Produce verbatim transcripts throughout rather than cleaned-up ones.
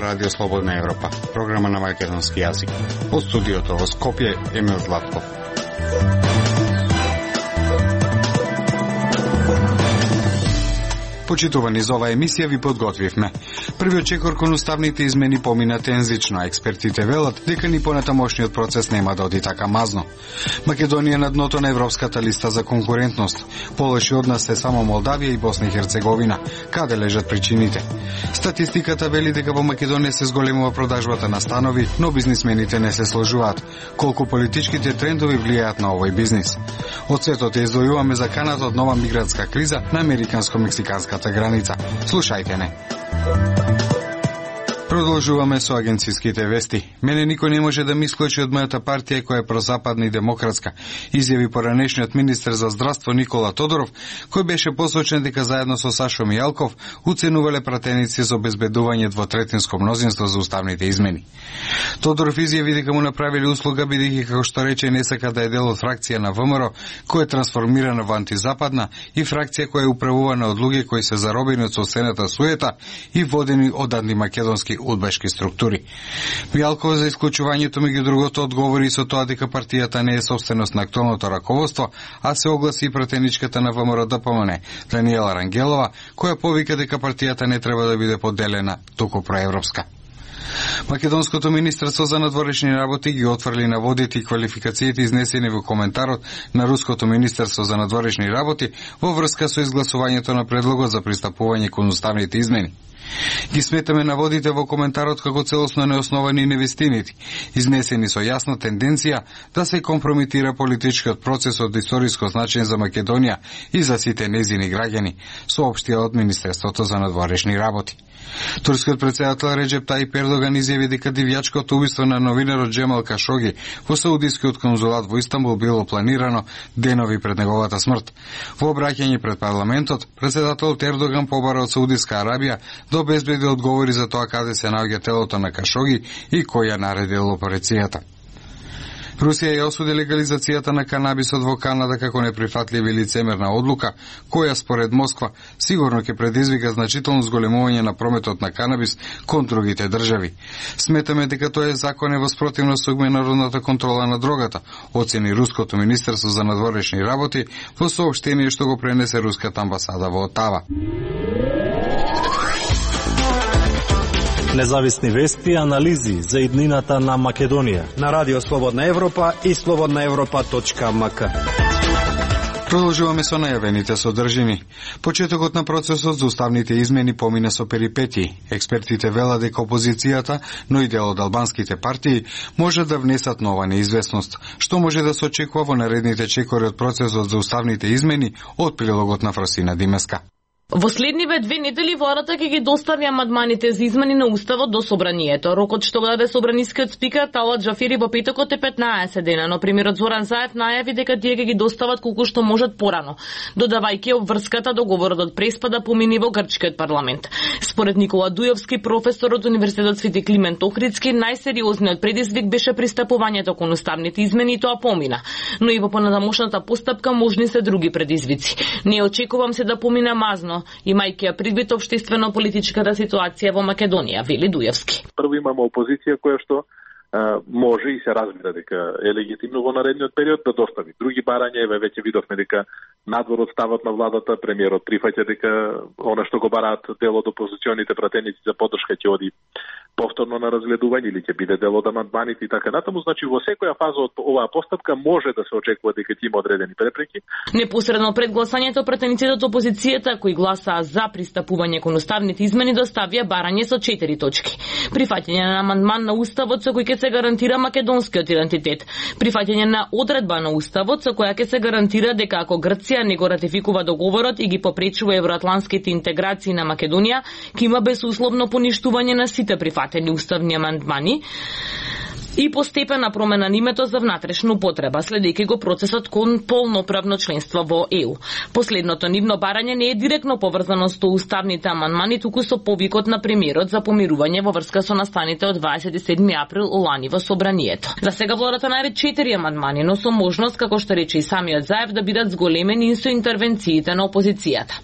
Радио Слободна Европа, програма на македонски јазик. Од студиото во Скопје, Емил Златков. Почитувани, за оваа емисија ви подготвивме. Првиот чекор кон уставните измени помина тензично, а експертите велат дека ни понатамошниот процес нема да оди така мазно. Македонија на дното на европската листа за конкурентност. Полоши од нас се само Молдавија и Босна и Херцеговина. Каде лежат причините? Статистиката вели дека во Македонија се зголемува продажбата на станови, но бизнисмените не се сложуваат. Колку политичките трендови влијаат на овој бизнис? Од светот ја издвојуваме за каната од нова мигрантска криза на американско-мексиканска граница. Слушајте не. Продолжуваме со агенциските вести. Мене никој не може да ми исклучи од мојата партија која е прозападна и демократска, изјави поранешниот министер за здравство Никола Тодоров, кој беше посочен дека заедно со Сашо Мијалков уценувале пратеници за обезбедување двотретинско мнозинство за уставните измени. Тодоров изјави дека му направиле услуга бидејќи, како што рече, не сака да е дел од фракција на ВМРО која е трансформирана во антизападна и фракција која е управувана од луѓе кои се заробени од соседната суета и водени од антимакедонски удбашки структури. Мијалков за исклучувањето меѓу другото одговори со тоа дека партијата не е собственост на актуелното раководство, а се огласи и пратеничката на ВМРО Д П М Н, Даниела Рангелова, која повика дека партијата не треба да биде поделена, туку проевропска. Македонското министерство за надворешни работи ги отфрли наводите и квалификациите изнесени во коментарот на Руското министерство за надворешни работи во врска со изгласувањето на предлогот за пристапување кон уставните измени. Ги сметаме наводите во коментарот како целосно неосновани и невистинити, изнесени со јасна тенденција да се компрометира политичкиот процес од историско значење за Македонија и за сите нејзини граѓани, соопштија од Министерството за надворешни работи. Турскиот претседател Реджеп Тајип Ердоган изјави дека дивјачкото убиство на новинарот Джемал Кашоги во Саудискиот конзулат во Истанбул било планирано денови пред неговата смрт. Во обраќање пред парламентот, претседателот Ердоган побара од Саудиска Арабија да обезбеди одговори за тоа каде се наоѓа телото на Кашоги и кој ја наредил операцијата. Русија ја осуди легализацијата на канабисот во Канада како неприфатлива и лицемерна одлука, која според Москва сигурно ќе предизвика значително зголемување на прометот на канабис кон другите држави. Сметаме дека тоа е закон е во спротивност со меѓународната контрола на дрогата, оцени Руското министерство за надворешни работи во соопштение што го пренесе руската амбасада во Отава. Независни вести и анализи за иднината на Македонија на Радио Слободна Европа и слободна европа точка м к. Продолжуваме со најавените содржини. Почетокот на процесот за уставните измени помина со перипетии. Експертите велат дека опозицијата, но и дел од албанските партии, може да внесат нова неизвестност, што може да се очекува во наредните чекори од процесот за уставните измени од прилогот на Фросина Димеска. Во следниве две недели владата ќе ги достави амандманите за измени на уставот до собранието. Рокот што го даде собранискиот спикер Талат Джафери во петокот е петнаесет дена, но премиерот Зоран Заев најави дека тие ќе ги достават колку што можат порано, додавајќи обврската договорот од Преспа да помини во грчкиот парламент. Според Никола Дујовски, професор од Универзитетот Свети Климент Охридски, најсериозниот предизвик беше пристапувањето кон уставните измени и тоа помина, но и во понатамошната постапка можни се други предизвици. Не очекувам се да помине мазно, имајќи ја предвид општествено-политичката ситуација во Македонија, вели Дујевски. Прво имаме опозиција која што а, може и се разбира дека е легитимно во наредниот период да достави. Други барања, еве веќе видовме дека надвор од ставот на владата, премиерот прифаќа дека она што го бараат дел од опозиционите пратеници за поддршка ќе оди повторно на разгледување или ќе биде дел од амандманите и така натаму. Значи во секоја фаза од оваа постапка може да се очекува дека ќе има одредени препреки. Непосредно пред гласањето пратениците од опозицијата кои гласаа за пристапување кон уставните измени доставија барање со четири точки. Прифаќање на амандман на уставот со кој ќе се гарантира македонскиот идентитет. Прифаќање на одредба на уставот со која ќе се гарантира дека ако Грција не го ратификува договорот и ги попречува евроатланските интеграции на Македонија, ќе има безусловно поништување на сите прифатени уставни амандмани. и постепена промена на името за внатрешна употреба, следејќи го процесот кон полноправно членство во Е У. Последното нивно барање не е директно поврзано со уставните амандмани, туку со повикот на премиерот за помирување во врска со настаните од дваесет и седми април лани во собранието. За сега владата најде четири амандмани, но со можност, како што рече и самиот Заев, да бидат зголемени и со интервенциите на опозицијата.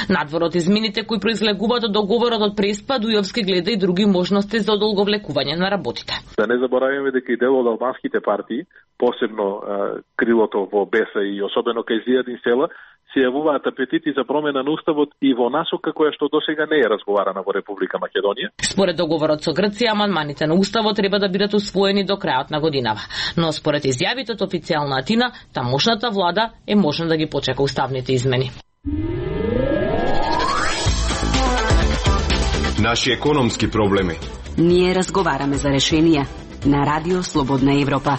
Надвор од измените кои произлегуваат од договорот од Преспа, Дујовски гледа и други можности за одолговлекување на работите. Да не забораваме дека и дел од албанските партии, посебно а, крилото во Беса и особено кај Зијадин Села, се јавуваат апетити за промена на уставот и во насока која што досега не е разговарана во Република Македонија. Според договорот со Грција, амандманите на уставот треба да бидат усвоени до крајот на годинава. Но според изјавите од официјална Атина, тамошната влада е можна да ги почека уставните измени. Наши економски проблеми. Ние разговараме за решенија на Радио Слободна Европа.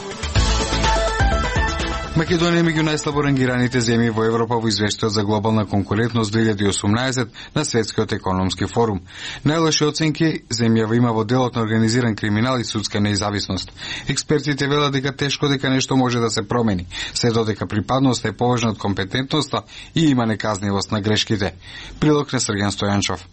Македонија е меѓу најслабо рангираните земји во Европа во извештајот за глобална конкурентност две илјади и осумнаесет на Светскиот економски форум. Најлоши оценки земјава има во делот на организиран криминал и судска неизависност. Експертите велат дека тешко дека нешто може да се промени, се додека припадноста е поважна од компетентноста и има неказнивост на грешките. Прилог на Срген Стојанчов.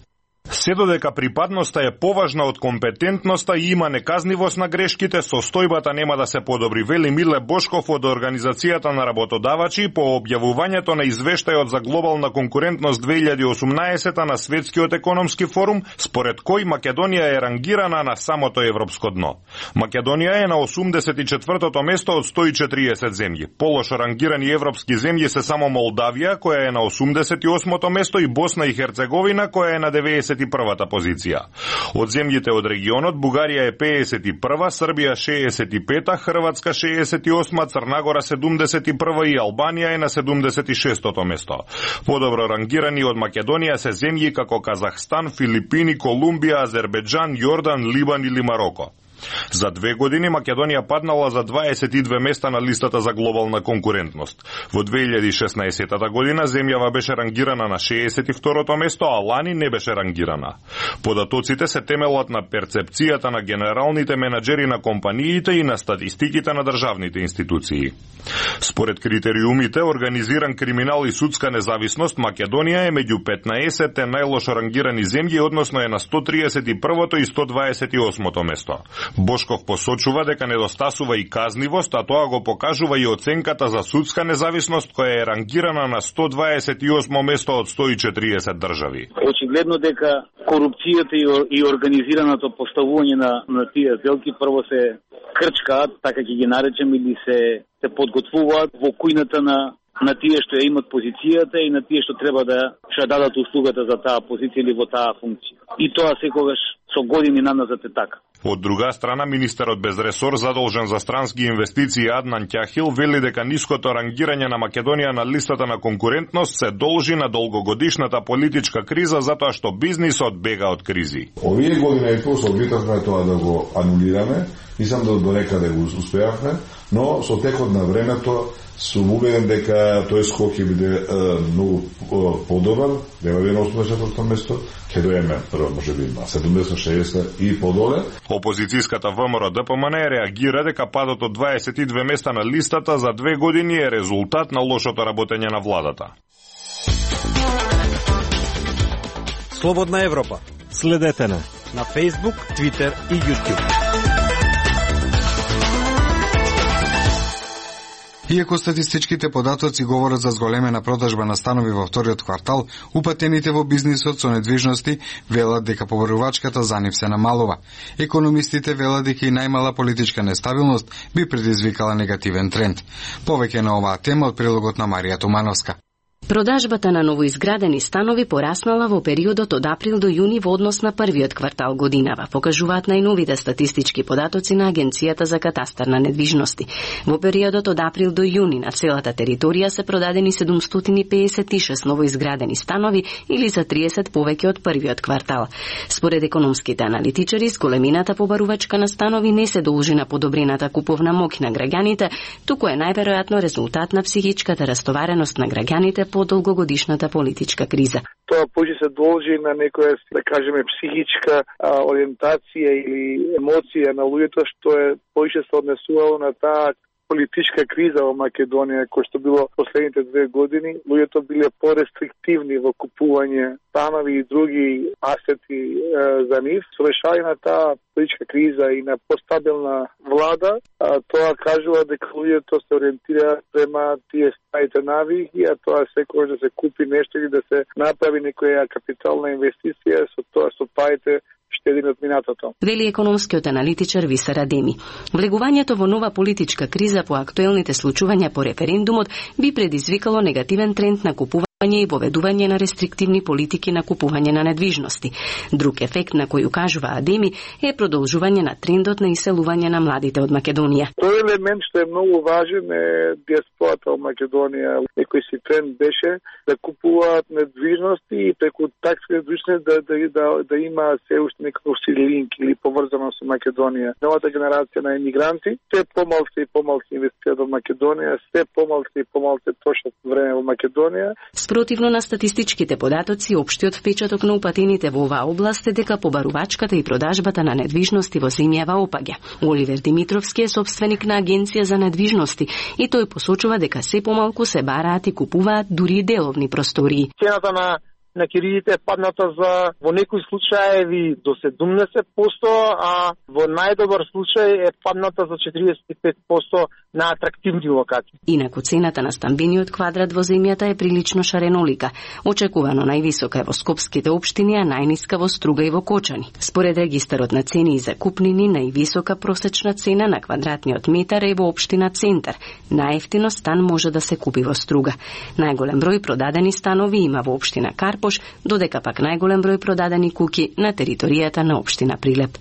Се додека припадноста е поважна од компетентноста и има неказнивост на грешките, состојбата нема да се подобри, вели Миле Бошков од Организацијата на работодавачи по објавувањето на извештајот за глобална конкурентност две илјади и осумнаесета на Светскиот економски форум, според кој Македонија е рангирана на самото европско дно. Македонија е на осумдесет и четвртото место од сто и четириесет земји. Полошо рангирани европски земји се само Молдавија, која е на осумдесет и осмото место, и Босна и Херцеговина, која е на деветдесет и првата позиција. Од земјите од регионот, Бугарија е пеесет и прва, Србија шеесет и пета, Хрватска шеесет и осма, Црнагора седумдесет и прва и Албанија е на седумдесет и шестото место. Подобро рангирани од Македонија се земји како Казахстан, Филипини, Колумбија, Азербеџан, Јордан, Либан или Мароко. За две години Македонија паднала за дваесет и две места на листата за глобална конкурентност. Во две илјади и шеснаесета година земјава беше рангирана на шеесет и второто место, а лани не беше рангирана. Податоците се темелат на перцепцијата на генералните менаџери на компаниите и на статистиките на државните институции. Според критериумите, организиран криминал и судска независност, Македонија е меѓу петнаесетте најлошо рангирани земји, односно е на сто триесет и првото и сто дваесет и осмото место. Бошков посочува дека недостасува и казнивост, а тоа го покажува и оценката за судска независност, која е рангирана на сто дваесет и осмо место од сто и четириесет држави. Очигледно дека корупцијата и организираното поставување на, на тие сделки прво се крчкаат, така ќе ги наречем, или се, се подготвуваат во кујната на на тие што ја имат позицијата и на тие што треба да што дадат услугата за таа позиција или во таа функција. И тоа секогаш со години наназад е така. Од друга страна, министерот без ресор задолжен за странски инвестиции Аднан Ќахил вели дека ниското рангирање на Македонија на листата на конкурентност се должи на долгогодишната политичка криза, затоа што бизнисот бега од кризи. Овие години и пол се обитавме тоа да го анулираме, мислам да до некаде го успеавме, но со текот на времето сум убеден дека тој скок ќе биде е, многу подобар, нема би на осумдесет четврто место, ќе доеме прво можеби на седумдесет шеесет и подоле. Опозицијската ВМРО Д П М Н реагира дека падот од дваесет и две места на листата за две години е резултат на лошото работење на владата. Слободна Европа. Следете на на Facebook, Twitter и YouTube. Иако статистичките податоци говорат за зголемена продажба на станови во вториот квартал, упатените во бизнисот со недвижности велат дека побарувачката за нив се намалува. Економистите велат дека и најмала политичка нестабилност би предизвикала негативен тренд. Повеќе на оваа тема од прилогот на Марија Тумановска. Продажбата на новоизградени станови пораснала во периодот од април до јуни во однос на првиот квартал годинава, покажуваат најновите статистички податоци на Агенцијата за катастар на недвижности. Во периодот од април до јуни на целата територија се продадени седумстотини пеесет и шест новоизградени станови или за триесет повеќе од првиот квартал. Според економските аналитичари, зголемината побарувачка на станови не се должи на подобрената куповна моќ на граѓаните, туку е најверојатно резултат на психичката растовареност на граѓаните подолгогодишната политичка криза. Тоа повеќе се должи на некоја, да кажеме, психичка а, ориентација или емоција на луѓето, што е повеќе се однесувало на таа политичка криза во Македонија, кој што било последните две години. Луѓето биле порестриктивни во купување станови и други асети е, за нив. Со решавање на таа политичка криза и на постабилна влада, а, тоа кажува дека луѓето се ориентираат према тие старите навики, а тоа секогаш да се купи нешто или да се направи некоја капитална инвестиција, со тоа со парите штедени од минатото. Вели економскиот аналитичар Висар Адеми. Влегувањето во нова политичка криза по актуелните случувања по референдумот би предизвикало негативен тренд на купување и воведување на рестриктивни политики на купување на недвижности. Друг ефект на кој укажува Адеми е продолжување на трендот на иселување на младите од Македонија. Тој елемент што е многу важен е диаспората од Македонија. Некој си тренд беше да купуваат недвижности и преку такви недвижности да, да, да, да има се уште некој линк или поврзано со Македонија. Новата генерација на емигранти се помалку и помалку инвестираат во Македонија, се помалку и помалку трошат време во Македонија. Спротивно на статистичките податоци, општиот впечаток на упатените во оваа област е дека побарувачката и продажбата на недвижности во земјава опаѓа. Оливер Димитровски е собственик на агенција за недвижности и тој посочува дека се помалку се бараат и купуваат дури деловни простории. Цената на на киридите е падната за во некои случаеви до седумдесет проценти, а во најдобар случај е падната за четиридесет и пет проценти на атрактивни локации. Инаку цената на стамбениот квадрат во земјата е прилично шаренолика. Очекувано највисока е во скопските општини, а најниска во Струга и во Кочани. Според регистарот на цени и закупнини, највисока просечна цена на квадратниот метар е во општина Центар. Најевтино стан може да се купи во Струга. Најголем број продадени станови има во општина Карпош, додека пак најголем број продадени куќи на територијата на општина Прилеп.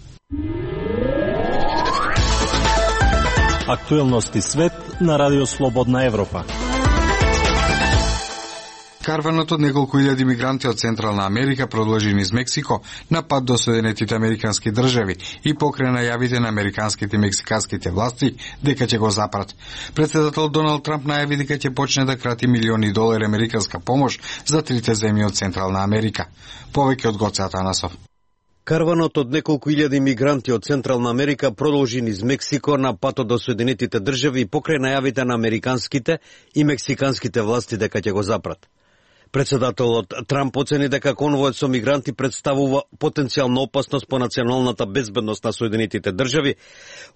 Актуелности свет на Радио Слободна Европа. Карванот од неколку илјади мигранти од Централна Америка продолжи низ Мексико на пат до Соединетите американски држави и покрај најавите на американските и мексиканските власти дека ќе го запрат. Претседател Доналд Трамп најави дека ќе почне да крати милиони долари американска помош за трите земји од Централна Америка. Повеќе од Гоце Атанасов. Карванот од неколку илјади мигранти од Централна Америка продолжи низ Мексико на патот до Соединетите држави покрај најавите на американските и мексиканските власти дека ќе го запрат. Председателот Трамп оцени дека конвојот со мигранти представува потенцијална опасност по националната безбедност на Соединетите држави,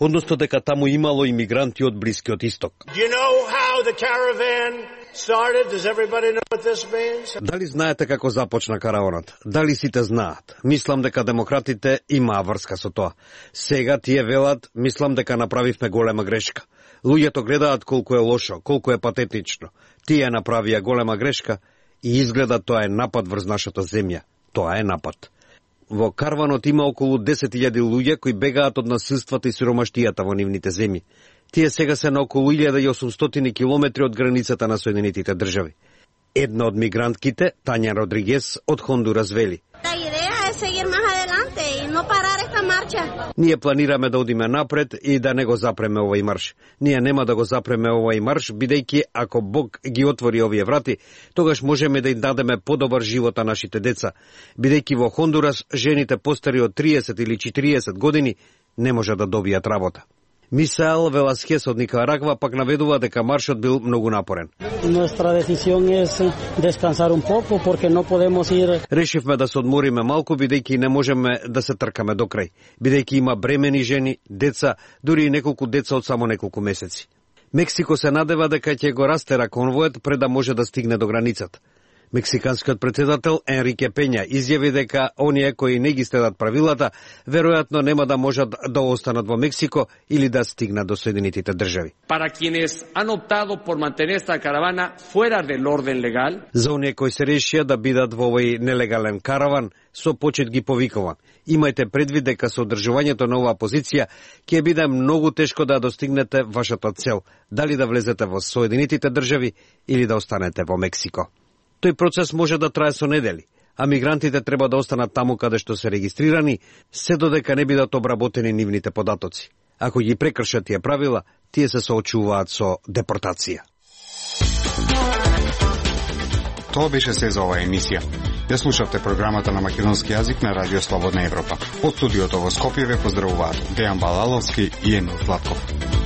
односно дека таму имало и мигранти од Блискиот Исток. You know how the caravan started? Does everybody know what this means? Дали знаете како започна караванот? Дали сите знаат? Мислам дека демократите имаа врска со тоа. Сега тие велат, мислам дека направивме голема грешка. Луѓето гледаат колку е лошо, колку е патетично. Тие направија голема грешка и изгледа тоа е напад врз нашата земја. Тоа е напад. Во карванот има околу десет илјади луѓе кои бегаат од насилствата и сиромаштијата во нивните земји. Тие сега се на околу илјада и осумстотини километри од границата на Соединетите држави. Една од мигрантките, Тања Родригес од Хондурас, вели: Ние планираме да одиме напред и да не го запреме овој марш. Ние нема да го запреме овој марш, бидејќи ако Бог ги отвори овие врати, тогаш можеме да им дадеме подобар живот на нашите деца. Бидејќи во Хондурас жените постари од триесет или четириесет години не може да добијат работа. Мисаел Веласкес од Никарагва пак наведува дека маршот бил многу напорен. Решивме да се одмориме малку, бидејќи не можеме да се тркаме до крај, бидејќи има бремени жени, деца, дури и неколку деца од само неколку месеци. Мексико се надева дека ќе го растера конвојот пред да може да стигне до границата. Мексиканскиот председател Енрике Пења изјави дека оние кои не ги следат правилата веројатно нема да можат да останат во Мексико или да стигнат до Соединетите држави. Para quienes han optado por mantener esta caravana fuera del orden legal, за оние кои се решија да бидат во овој нелегален караван, со почет ги повикувам: имајте предвид дека со одржувањето на оваа позиција ќе биде многу тешко да достигнете вашата цел, дали да влезете во Соединетите држави или да останете во Мексико. Тој процес може да трае со недели, а мигрантите треба да останат таму каде што се регистрирани, се додека не бидат обработени нивните податоци. Ако ги прекршат тие правила, тие се соочуваат со депортација. Тоа беше се за оваа емисија. Ја слушавте програмата на македонски јазик на Радио Слободна Европа. Од студиото во Скопје ве поздравуваат Дејан Балаловски и Емил Златков.